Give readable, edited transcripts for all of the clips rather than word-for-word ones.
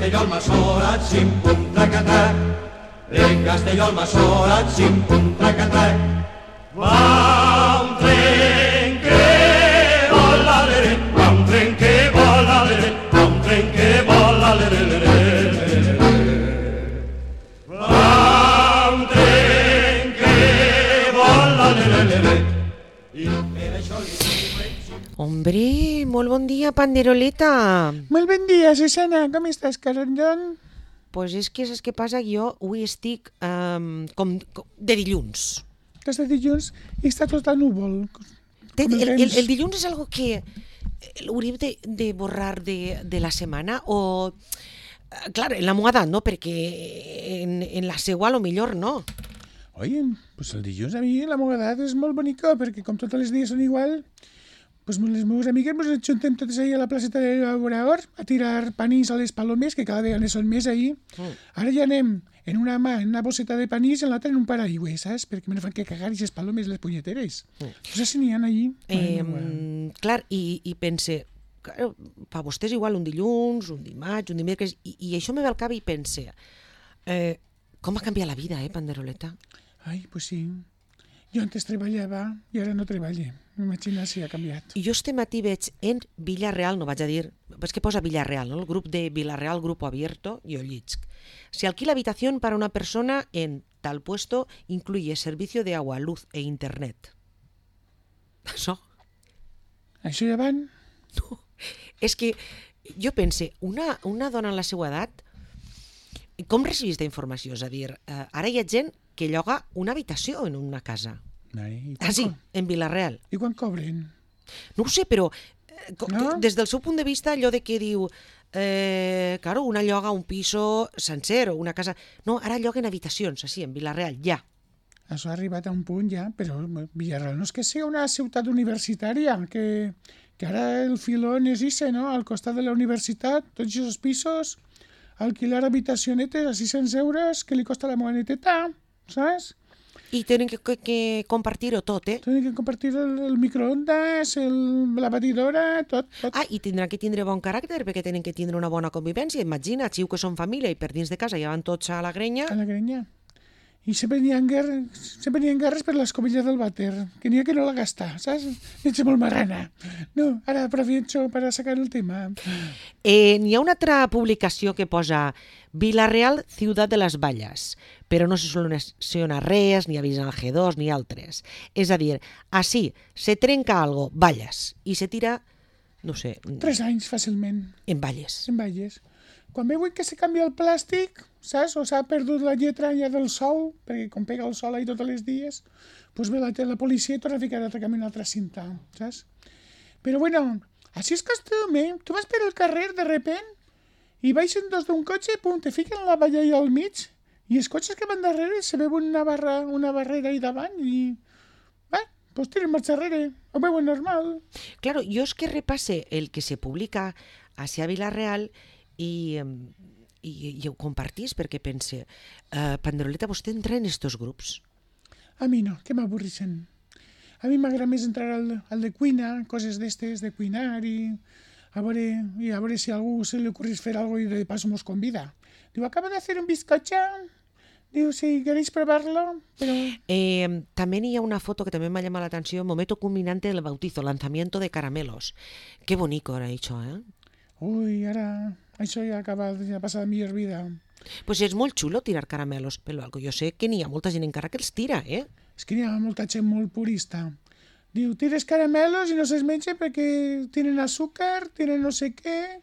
Castelló al Massorat, xim-pum, tracatac. En Castelló al Massorat, xim-pum, tracatac. Va un tren que vola, l'ere, va un tren que vola, l'ere, va un tren que vola, l'ere, l'ere. Va un tren que vola, l'ere, l'ere. I per això li dic... Hombre, molt bon dia, Panderoleta. Molt bon dia, Susana. Com estàs, carallón? Pues és que saps què passa? Jo avui estic com de dilluns. Estàs de dilluns i està tot a núvol. El dilluns és algo que hauríem de borrar de la setmana o... Clar, en la meva edat, no? Perquè en la seua, a lo millor, no. Oye, pues el dilluns a mi la meva edat és molt bonica perquè com tots els dies són igual, pues les meves amigues ens ajuntem totes ahí a la placeta de Laborador a tirar panís a les palomes, que cada vegada són més ahí. Ara ja anem en una mà en una bosseta de panís i en l'altra en un paraigüe, saps? Perquè me no fan que cagar i les palomes les punyeteres. No sé si n'hi ha allí. Clar, i pense, claro, per vostès igual un dilluns, un dimarts, un dimecres, i això me ve al cap i pense, com ha canviat la vida, Panderoleta? Ai, pues sí. Jo antes treballava i ara no treballe. M'imagina si ha canviat. I jo este matí veig en Villarreal, no vaig a dir, és que posa Villarreal, ¿no? El grup de Villarreal, Grupo Abierto, jo llisc. Se alquila habitación para una persona en tal puesto, incluye servicio de agua, luz e internet. Això? Això ja van? No, és que jo pense, una dona en la seva edat, com recibís d'informació? És a dir, ara hi ha gent que lloga una habitació en una casa. Ai, sí, en Villarreal. I quan cobren? No ho sé, però no? Des del seu punt de vista, allò de que diu, claro, una lloga un piso sencer o una casa... No, ara lloguen habitacions, així, en Villarreal, ja. Això ha arribat a un punt ja, però Villarreal no és que sigui una ciutat universitària, que ara el filón és ese, no? Al costat de la universitat, tots aquests pisos, alquilar habitacionetes a 600 euros que li costa la moneteta, saps? I tenen que compartir-ho tot, Tenen que compartir el microondas, la batidora, tot. I tindran que tindre bon caràcter perquè tenen que tindre una bona convivència. Imagina, xiu que són família i per dins de casa ja van tots a la grenya. A la grenya. I sempre n'hi ha guerres per l'escobilla del vàter, que n'hi ha que no la gasta, saps? Ets molt marrana. No, ara aprovecho para sacar el tema. N'hi ha una altra publicació que posa Villarreal, ciutat de les valles, però no se soluciona res, ni avisen al G2 ni altres. És a dir, així se trenca algo, valles, i se tira, no sé... 3 anys fàcilment. En valles. En valles. Quan veuen que se canvia el plàstic, saps? O s'ha perdut la lletra ja del sol, perquè com pega el sol ahí tots els dies, doncs ve la policia i torna a ficar l'altre camí una altra cinta, saps? Però bueno, així és costum, Tu vas per el carrer de repent i baixen dos d'un cotxe, pum, te fiquen la valla ahí al mig i els cotxes que van darrere se veuen una barrera ahí davant i... pues tiren marxa darrere, ho veuen normal. Claro, jo és que repasse el que se publica hacia Villarreal i ho compartís perquè pense, Panderoleta, vostè entra en estos grups? A mi no, que m'avorrixen. A mi m'agrada més entrar al de cuina, coses d'estes, de cuinar i a veure si a algú se li ocorrís fer algo i de paso mos convida. Diu, acaba de hacer un bizcocho. Diu, si queréis probarlo. Pero... también hi ha una foto que también me ha llamado la atención, momento culminante del bautizo, lanzamiento de caramelos. Qué bonito era això, Ui, ara, això ja ha passat a millor vida. Pues és molt xulo tirar caramelos, però jo sé que n'hi ha molta gent encara que els tira, És que n'hi ha molta gent molt purista. Diu, tires caramelos i no se'ls menja perquè tienen azúcar, tienen no sé qué...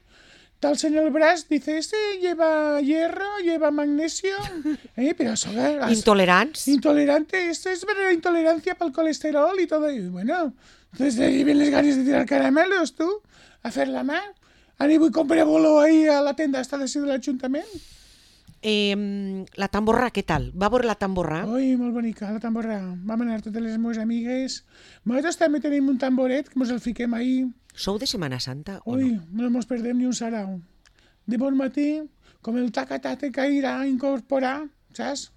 Talsen el braç, dice, este lleva hierro, lleva magnesio, pero eso... Intolerants. Intolerante, esto es verdadera intolerancia para el colesterol y todo. Y bueno, entonces de ahí vienen las ganas de tirar caramelos, tú, a fer la mà. Ara vull comprar bolo ahí a la tenda esta de l'Ajuntament. La tamborra, què tal? Va veure la tamborra? Ui, molt bonica, la tamborra. Vam anar totes les meves amigues. Nosaltres també tenim un tamboret que ens el fiquem ahí. Sou de Setmana Santa o Ui, no? No mos perdem ni un sarau. De bon matí, com el tacatate que irà a incorporar, saps?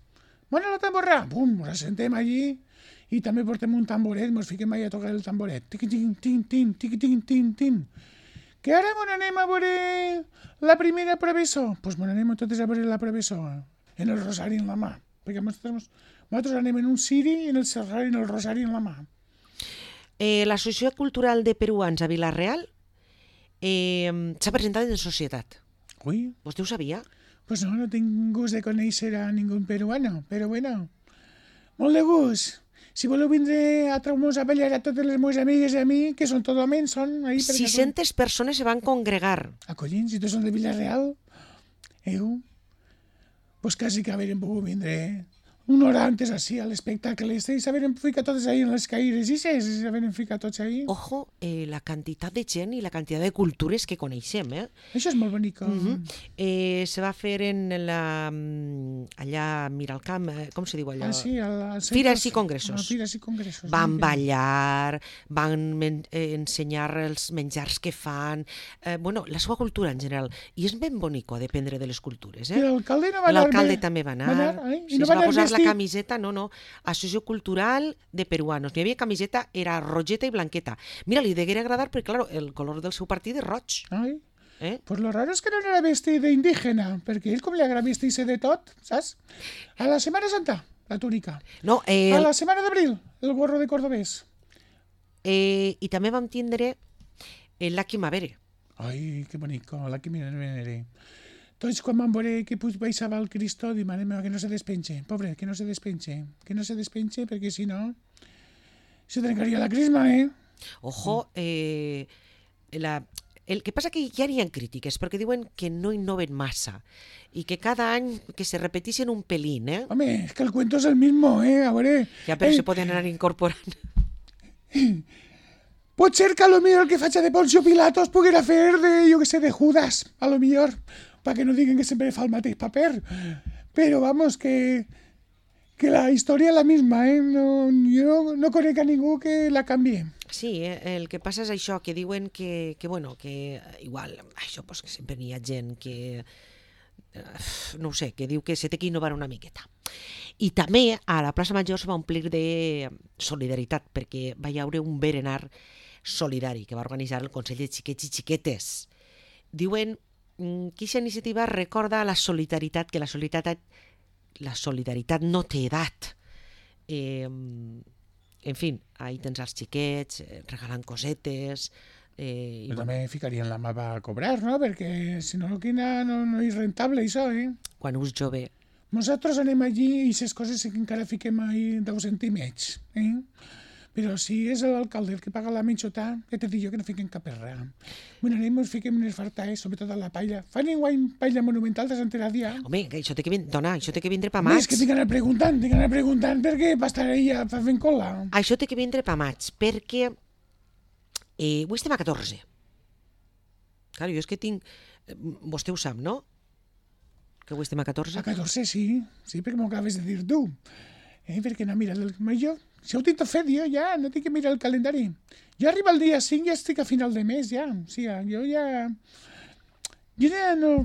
Bona la tamborra! Pum, ens assentem allí i també portem un tamboret, ens fiquem allà a tocar el tamboret. Tiqui-tin, tin, tin, tiqui-tin, tin, tin. Que ara anem a veure la primera professor? Doncs me n'anem totes a veure la professor, en el rosari en la mà, perquè nosaltres anem en un ciri i en el rosari en la mà. L'Associació Cultural de Peruans a Vila-real s'ha presentat en societat. Ui, Vostè ho sabia? pues no tinc gust de conèixer a ningú peruano, però bueno, molt de gust. Si voleu vindre a trauar-nos a ballar a totes les meves amigues i a mi, que són tot homes, són ahí... 600 persones se van congregar. Acollins, si tots són de Vila-real, pues quasi que haurem pogut vindre una hora antes així a l'espectacle. I s'haurem ficat tots ahí en les caires i s'haurem ficat tots ahí. Ojo, la quantitat de gent i la quantitat de cultures que coneixem, Això és molt bonic. Se va fer en allà a Miralcamp, com se diu allò? Sí, al Fires i congressos. Fires i congressos. Van ballar, van ensenyar els menjars que fan, la seva cultura en general. I és ben bonico d'aprendre de les cultures. I l'alcalde no va anar... L'alcalde també va anar. I Sí, no es va va anar posar la vestit... camiseta, no, Associació Cultural de Peruanos. N'hi havia camiseta, era rogeta i blanqueta. Mira, li degué agradar perquè, clar, el color del seu partit és roig. Ai, pues lo raro és que no era vestit d'indígena, perquè ell com li agrada vestir-se de tot, saps? A la Setmana Santa, la túnica. No, A la Setmana d'Abril, el gorro de cordobès. I també vam tindre l'Aki Mavere. Ai, que bonico, la que miraré. Tots quan vam veure que baixava el Cristo, dic, mare meva, que no se despenxe. Pobre, que no se despenxe. Que no se despenxe, perquè si no se trencaria la crisma, Ojo, el que passa que ja n'hi ha crítiques, perquè diuen que no innoven massa i que cada any que se repeteixen un pelín, Home, és que el cuento és el mismo, a veure... Ja, però se poden anar incorporant. Pot ser que a lo millor el que faig de Poncio Pilatos poguera fer de, jo que sé, de Judas, a lo millor, perquè no diguen que sempre fa el mateix paper. Però, vamos, que la història és la misma, jo no conec a ningú que la canvie. Sí, el que passa és això, que diuen que igual, això, pues, que sempre n'hi ha gent que, no ho sé, que diu que se té que innovar una miqueta. I també a la plaça Major se va omplir de solidaritat, perquè va hi haure un berenar solidari que va organitzar el Consell de Xiquets i Xiquetes. Diuen que aquesta iniciativa recorda la solidaritat, que la solidaritat no té edat. En fi, ahí tens els xiquets regalant cosetes. Però també ficarien la mà a cobrar, no? Perquè si no, no és rentable, això, Quan us jove. Nosaltres anem allí i les coses que encara fiquem ahí 10 centímetres, Però si és l'alcalde el que paga la menjota, que te dic jo que no fiquem cap erra. Bueno, anem i fiquem unes fartaes, sobretot a la paella. Fan enguany paella monumental de Sant Heràdia. Home, que això té que vindre pa Home, maig. és que tinc anar preguntant perquè va estar ella fent cola. Això té que vindre pa maig, perquè avui estem a 14. Clar, jo és que tinc... Vostè ho sap, no? Que avui estem a 14. A 14, sí, perquè m'ho acabes de dir tu. Perquè no mira el major. Si ho tinc tot fet jo, ja, no tinc que mirar el calendari. Jo arriba el dia 5 i ja estic a final de mes, ja. O sigui, jo ja no...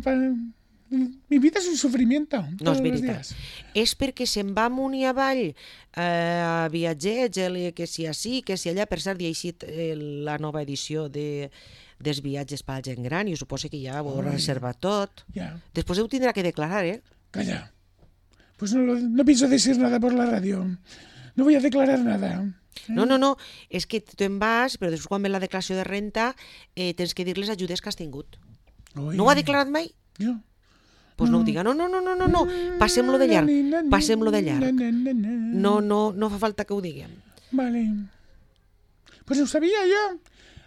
Mi vida és un sofrimiento. No és veritat. És perquè se'n va amunt i avall a viatgers, que si així, que si allà. Per cert, hi ha eixit la nova edició dels viatges per a gent gran i suposo que ja ho heu reservat tot. Ja. Després ho tindrà que declarar, Calla. Pues no pienso decir nada por la radio. No voy a declarar nada. No, és que tu en vas, però després quan ve la declaració de renta tens que dir les ajudes que has tingut. Ui. No ho ha declarat mai? Jo. Pues no ho diga. No. Passem-lo de llarg. No fa falta que ho diguem. Vale. Pues ho sabía yo.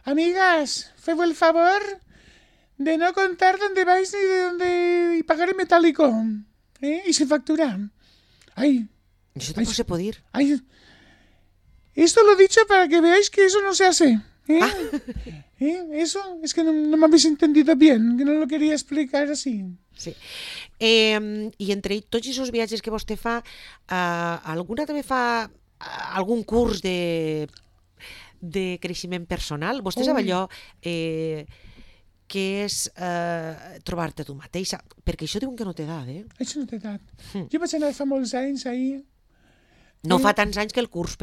Amigas, feu el favor de no contar dónde vais ni de dónde... y pagar en metálico. Y sin factura. Ay. Això tampoc se pot dir. Ay. Esto lo he dicho para que veáis que eso no se hace. Eso es que no me habéis entendido bien, que no lo quería explicar así. Sí. I entre tots aquests viatges que vostè fa, alguna també fa algun curs de creixement personal? Vostè sap allò que és trobar-te tu mateixa? Perquè això diuen que no té edat, Això no té edat. Jo vaig anar fa molts anys ahir. No fa tants anys que el curs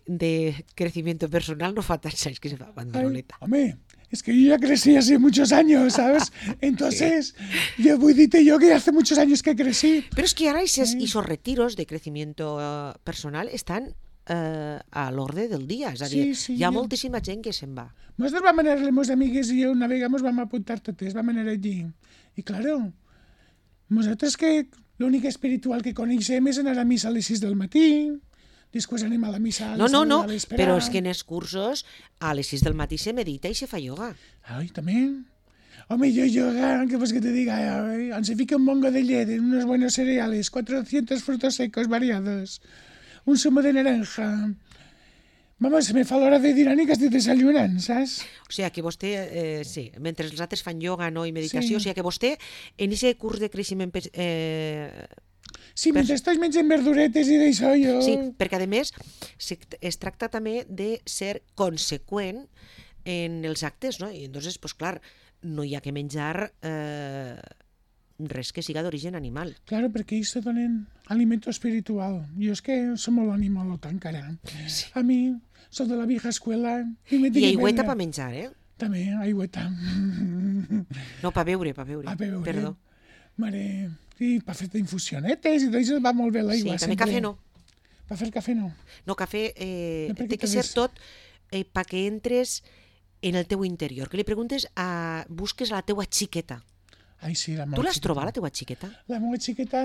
de crecimiento personal no fa tants anys que se fa, Bandoleta. Home, Es que yo ya crecí hace muchos años, ¿sabes? Entonces, yo voy a yo que hace muchos años que crecí. Pero es que ahora esos retiros de crecimiento personal están a l'ordre del dia. És a dir, Sí, hi ha jo- moltíssima gent que se'n va. Nosaltres vam anar, les meves amigues i jo una vegada ens vam apuntar totes, vam anar allí. I claro, nosaltres que l'únic espiritual que coneixem és anar a missa a les 6 del matí, després anem a la missa a les 9 No, de l'espera. però és que en els cursos a les 6 del matí se medita i se fa ioga. Ai, també. Home, yo yoga, ¿qué pues que te diga? Se fica un mongo de llet, unos buenos cereales, 400 frutos secos variados, un zumo de naranja. Vamos, se me fa l'hora de dinar i que estic desayunant, saps? O sigui que vostè, sí, mentre els altres fan ioga no, i meditació, Sí. o sigui que vostè en aquest curs de creixement Sí, mentre estoy menjant verduretes i d'això, jo... sí, perquè a més es tracta també de ser conseqüent en els actes, no? I entonces, pues clar, no hi ha que menjar res que siga d'origen animal. Claro, perquè ells se donen alimento espiritual. Jo és que som molt animalota encara. Sí. A mi, soc de la vieja escuela. I I aigüeta per menjar, eh? També, aigüeta. No, per beure, A veure. Perdó. Mare, i per fer infusionetes i tot això va molt bé Sí, l'aigua. també cafè no. Per fer cafè no. No, cafè No, perquè té que tot ser és- tot perquè entres en el teu interior, que li preguntes busques a la teua xiqueta. Ai, sí, la Tu meva l'has xiqueta. trobat, la teua xiqueta? La meva xiqueta,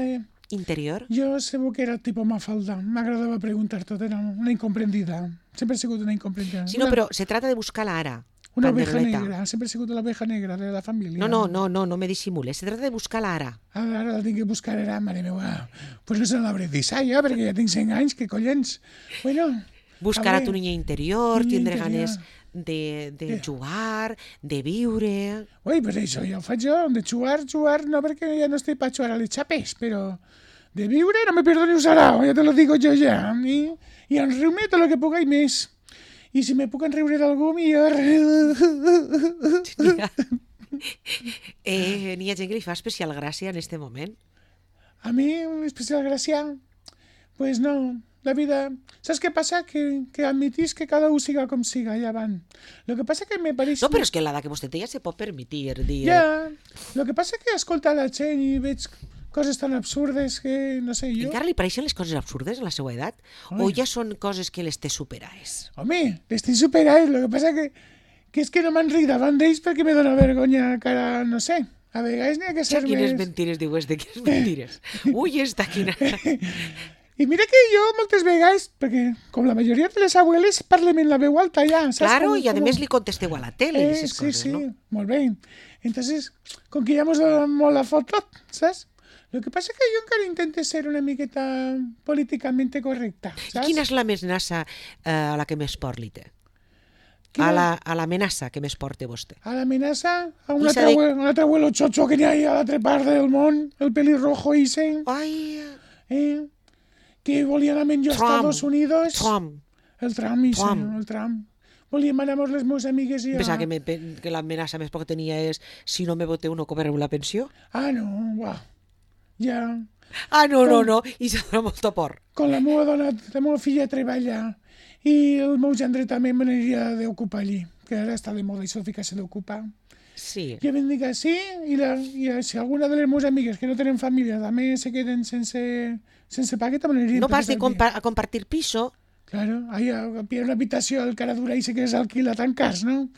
Interior? jo sabia que era tipus Mafalda. M'agradava preguntar tot, era una incomprendida. Sempre he sigut una incomprendida. Sí, no, però se trata de buscar-la ara. Una oveja Panderoleta. negra, sempre he sigut l'oveja negra de la família. No me dissimules. Se trata de buscar-la ara. Ara la tinc que buscar, ara, mare meva. Pues no se l'hauré dit, jo, perquè ja tinc 100 anys, que collons. Bueno, Buscar a veure, tu niña interior, niña tindre interior. ganes de jugar, de viure... ui, pues això ja ho faig jo, de jugar, no, perquè ja no estic per jugar a les xapes, però de viure no me perdo ni un sarao, ja te lo digo jo ja. I enriu-me tot el que puc i més. I si me puc enriure d'algú, millor. N'hi ha gent que li fa especial gràcia en este moment. A mi, especial gràcia, pues no, la vida... Saps què passa? Que admitís que cada un siga com siga, ja van. Lo que passa que me pareix... No, però és que l'edat que vostè té ja se pot permetir dir... Ja, lo que passa que escolta la gent i veig coses tan absurdes que, no sé, jo... Encara li pareixen les coses absurdes a la seva edat? O ja són coses que les té superades? Home, l'estic superant, lo que passa que és que no m'enric davant d'ells perquè me dóna vergonya cara, no sé, a vegades n'hi ha que ser Quines més... mentires dius de quines mentires? Ui, esta quina... I mira que jo moltes vegades, perquè com la majoria de les abueles parlem en la veu alta ja, saps? Claro, Com- i a com- més li contesteu a la tele i aquestes coses, sí, no? molt bé. Entonces, com que ja mos dona molt la foto, saps? Lo que passa que jo encara intento ser una miqueta políticament correcta, saps? Quina és l'amenaça a la que més por li té? Quina- A l'amenaça que més porta vostè? A l'amenaça, a un I s'ha altre, un altre abuelo chocho que n'hi ha a l'altra part del món, el pelirrojo ese, Ai, que volien anar jo a Trump. Estados Unidos. Trump. El Trump, ese, Trump. el Trump. Volíem anar amb les meves amigues i... Pensava que l'amenaça més por que tenia és si no me voteu no cobrareu la pensió? Ah, no, uah. Ja... Ah, no, i se dona molta por. Quan la meva dona, la meva filla treballa i el meu gendre també me n'aniria d'ocupar allí, que ara està de moda això de ficar-se d'ocupar. Sí. Jo em dic sí, i si alguna de les meves amigues que no tenen família també se queden sense paga, també n'aniria. No pas de a compartir piso. Claro, ahí pillar una habitació, el cara dura i se que s'alquila tan cars, no?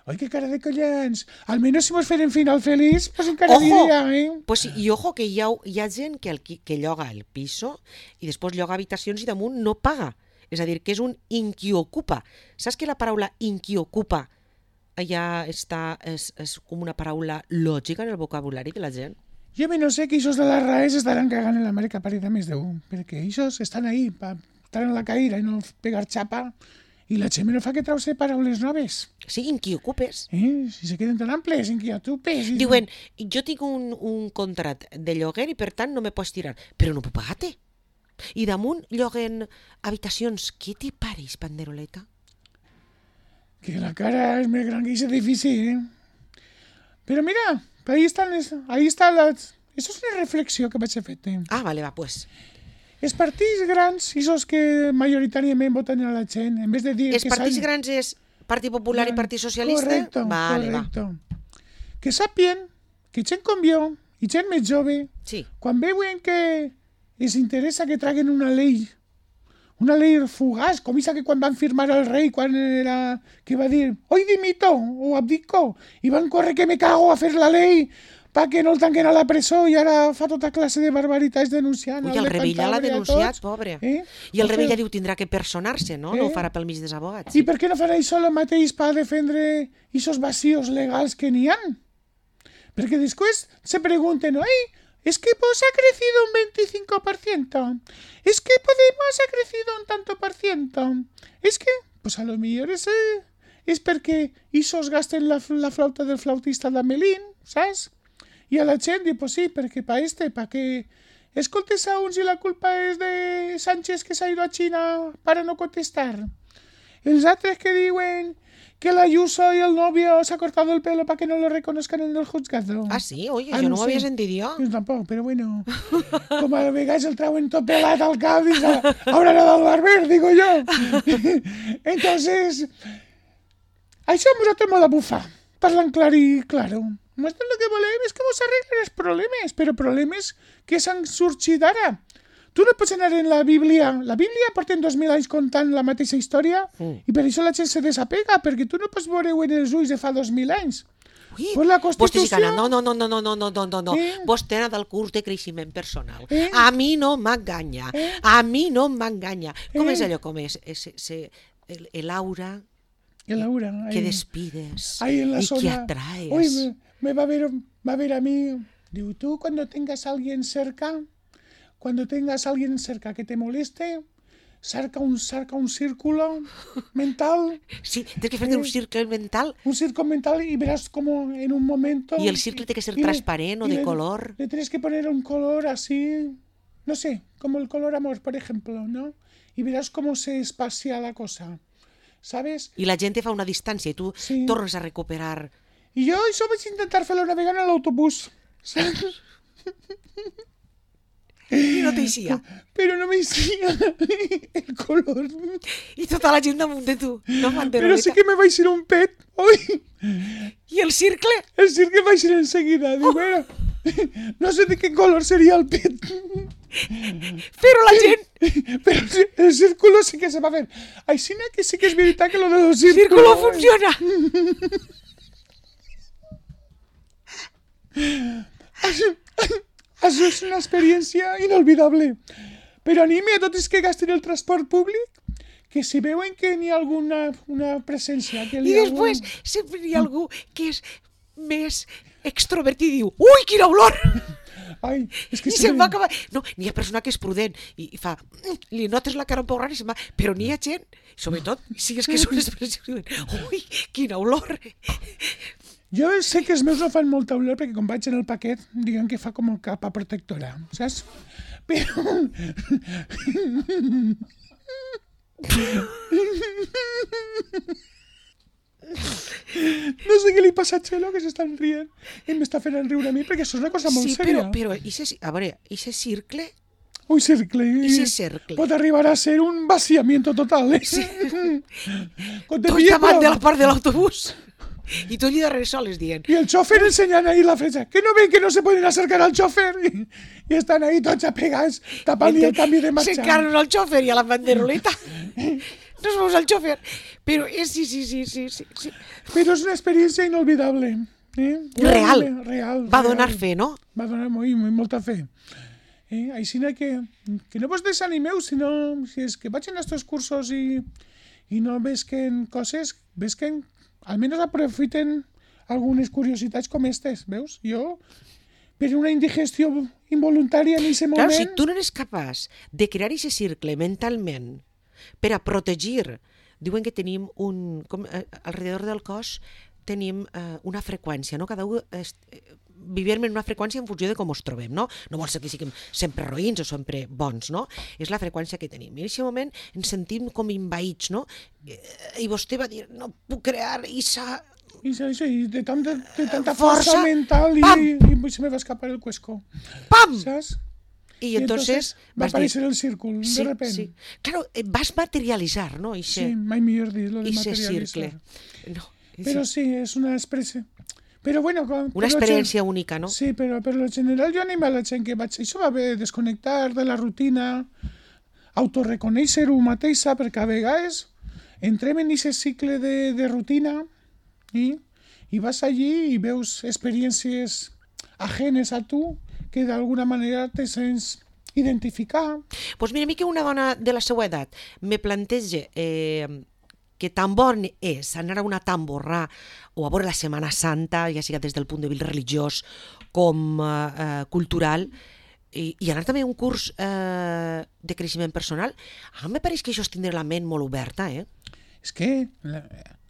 Ai, que cara de collons. Almenys si mos feren final feliç, pues encara Ojo! diria, Pues sí, i ojo que hi ha gent que lloga el piso i després lloga habitacions i damunt no paga. És a dir, que és un inquiocupa. Saps que la paraula inquiocupa ja està, és com una paraula lògica en el vocabulari de la gent? Jo no sé que ixos de les raes estaran cagant en l'Amèrica parida més d'un, perquè ixos estan ahí per estar en la caïra i no pegar xapa, i la gent no fa que trau-se paraules noves. Sí, inquiocupes. Si se queden tan amples, inquiotupes... Diuen, jo tinc un contrat de lloguer i per tant no me pots tirar, però no puc pagar-te. I damunt lloguen habitacions. Què t'hi pareix, Panderoleta? Que la cara és més gran que aquest edifici, Però mira, ahí està la... Això és una reflexió que vaig fer. Ah, vale, va, pues. Els partits grans, aquests que majoritàriament voten a la gent, en vez de dir Els que partits grans és Partit Popular i Partit Socialista? Correcte, correcte. Que sàpien que gent com jo i gent més jove, quan veuen que els interessa que traguen una llei fugaç, com aquesta que quan van firmar el rei, quan era, que va dir, hoy dimito o abdico, i van córrer que me cago a fer la llei perquè no el tanquen a la presó i ara fa tota classe de barbaritats denunciant. Ui, el Revilla l'ha denunciat, pobre. I el Revilla diu tindrà que personar-se, no? No ho farà pel mig dels abogats. I per què no farà això el mateix per defendre aquests vacíos legals que n'hi ha? Perquè després se pregunten, ¿es que Vox ha crecido un 25%? ¿Es que Podemos ha crecido un tanto por ciento? Es que, pues a lo mejor es perquè esos gasten la flauta del flautista d'Amelín, saps? I a la gent diu, pues sí, perquè pa que escoltes a uns i la culpa és de Sánchez que s'ha ido a China para no contestar. Els altres que diuen que la Ayuso y el novio se ha cortado el pelo para que no lo reconozcan en el juzgado. Ah, sí? Oye, yo no ho havia sentit jo. Jo tampoc, però bueno, com a vegades el trauen tot pelat al cap, dius, haurà anat al barber, digo yo. Entonces, això a nosaltres m'ho de bufar, parlant clar i claro. Nosaltres el que volem és que vos arreglen els problemes, però problemes que s'han sorgit ara. Tu no pots anar en la Bíblia. La Bíblia porten 2000 anys contant la mateixa història i per això la gent se desapega, perquè tu no pots veure-ho en els ulls de fa 2000 anys. Ui, pues la Constitució... No. Vostè ha del curs de creixement personal. A mi no m'enganya. A mi no m'enganya. Com és allò? Com és? El aura que despides y que atraes. Uy, me va a ver a mí. Digo, tú cuando tengas a alguien cerca que te moleste, cerca un círculo mental. Sí, tienes que hacer un círculo mental. Un círculo mental y verás como en un momento... Y el círculo tiene que ser transparente o de color. Le tienes que poner un color así, no sé, como el color amor, por ejemplo, ¿no? Y verás cómo se espacia la cosa, ¿sabes? Y la gente fa una distancia y tú tornes a recuperar. Y yo eso vaig intentar fer-lo navegant en l'autobús, saps? I no t'eixia. Però no m'eixia el color. I tota la gent damunt de tu, no banderoleta. Però sí que me vaig ir un pet, oi? I el circle? El circle vaig ir enseguida. Diu, bueno, no sé de qué color sería el pet. Però la gent... Però el círculo sí que se va fer. Així que sí que és veritat que lo del círculo... Círculo funciona. Això és una experiència inolvidable. Però anime a tots els que gasten el transport públic que si veuen que n'hi ha una presència... Que I després sempre hi ha algú que és més extrovertit i diu «Ui, quina olor!» Ai, és que I se'n va acabar... No, n'hi ha persona que és prudent i fa... Li notes la cara un poc rara i se'n va... Però n'hi ha gent, sobretot, si és que són les persones que diuen «Ui, quina olor!» Jo sé que els meus no fan molta olor perquè quan vaig en el paquet diuen que fa com el capa protectora, saps? Però... No sé què li passa a Txelo, que s'estan rient i m'està fent riure a mi perquè això és una cosa molt sèria. Sí, però a veure, ese circle... Un cercle. Pot arribar a ser un vaciamiento total, eh? Sí. Tots davant de la part de l'autobús. Y tú allí darrere soles dient. Y el chofer enseñan ahí la flecha. ¿Que no ven que no se pueden acercar al chofer? Y están ahí tots apegats, tapant-li el canvi de marxa. S'encarren al chofer i a la banderoleta. No es veus al chofer. Però sí. Però és una experiència inolvidable. Real. Va real. Donar fe, no? Va donar molta fe. Així que no vos desanimeu, sinó si és que vaig en estos cursos i no vesquen coses, vesquen almenys aprofiten algunes curiositats com aquestes, veus? Jo, per una indigestió involuntària en aquest moment... Clar, si tu no eres capaç de crear aquest cercle mentalment per a protegir, diuen que tenim alrededor del cos tenim una freqüència, no? Cada un vivim en una freqüència en funció de com ens trobem, no? No vol ser que siguem sempre roïns o sempre bons, no? És la freqüència que tenim. I en aquest moment ens sentim com envaïts, no? I vostè va dir, no puc crear esa... I de tanta força mental i se me va escapar el cuesco. Pam! Saps? Y entonces va a vas dir- aparecer el círculo, Sí, de repente. sí. Claro, vas materializar, ¿no? Sí, mai millor dir, lo de Ese materializar. circle. No, Pero sí, es una expresión. Però bueno, una experiència única, no? Sí, però per lo general jo animo a la gent que vaig... Això va bé, desconnectar de la rutina, autorreconèixer-ho mateixa, perquè a vegades entrem en aquest cicle de rutina i vas allí i veus experiències ajenes a tu que d'alguna manera te sents identificar. Pues mira, a mi que una dona de la seva edat me planteja que tan bon és anar a una tamborrà o a veure la Setmana Santa, ja siga des del punt de vista religiós com cultural, i anar també a un curs de creixement personal, a mi me pareix que això és tindre la ment molt oberta, És que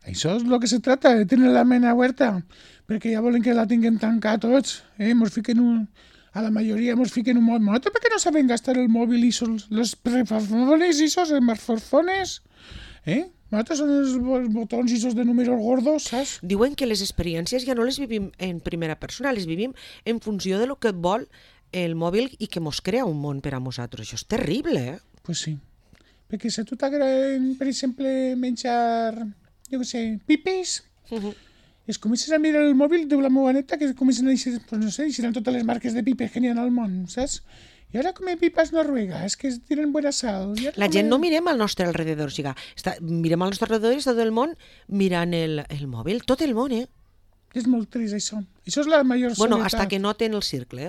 això és el que se trata, de tenir la ment oberta, perquè ja volen que la tinguem tancada tots, mos fiquen a la majoria mos fiquen un mòbil. ¿Per què no saben gastar el mòbil i los prefafones i esos smartphones? Nosaltres són els botons i esos de números gordos, saps? Diuen que les experiències ja no les vivim en primera persona, les vivim en funció de lo que vol el mòbil i que mos crea un món per a nosaltres. Això és terrible, Pues sí. Perquè si a tu t'agrada, per exemple, menjar, jo què sé, pipis, es comences a mirar el mòbil de la meva neta que comencen a dir, pues no sé, eixiran totes les marques de pipes que n'hi ha al món, saps? I ara come pipas noruegas, que tienen buena sal. La gent no mirem al nostre alrededor, o sigui, mirem al nostre alrededor i està tot el món mirant el mòbil, tot el món, És molt trist, això. Això és la major Bueno, soledat. hasta que noten el circle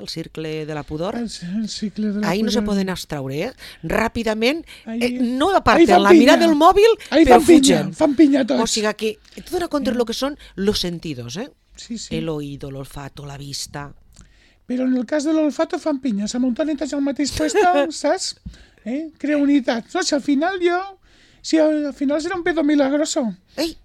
de la pudor. El cicle de la Ahí no se pudor. poden abstraure, ràpidament, Ahí- no ahí aparten fan la pinya. mirada del mòbil, Ahí però fan pinya, fugen. fan pinya tots. O sigui que tu dona compte lo que són los sentidos, Sí, sí. el oído, el olfato, la vista. Però en el cas de l'olfato fan pinya. Se munten al mateix puesto, saps? Crea unitat. No, si al final al final serà un pedo milagroso. Ei,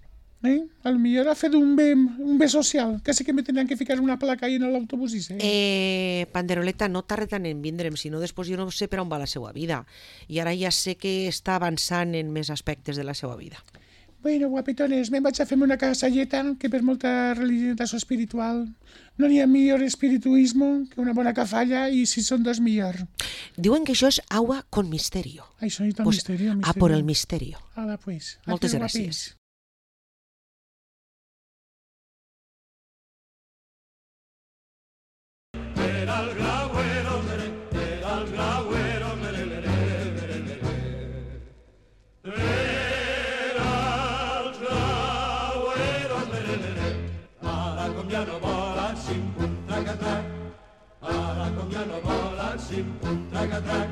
A lo millor ha fet un bé social. Casi que me tendrían que ficar una placa ahí en l'autobús i sé. Panderoleta, no tarda tant en vindre'm, si no després jo no sé per on va la seva vida. I ara ja sé que està avançant en més aspectes de la seva vida. Bueno, guapetones, me'n vaig a fer-me una casalleta que per molta religiosidad espiritual no n'hi ha millor espirituismo que una bona cafalla i si són dos millor. Diuen que això és agua con misterio. Això és Pues, misterio. a por el misterio. Ala, pues. Moltes Adiós, gràcies. guapis. Era el grauero, era el grauero, era el grauero, ara com ja no volen sim-pum, trac-a-trac, ara com ja no volen sim-pum, trac-a-trac,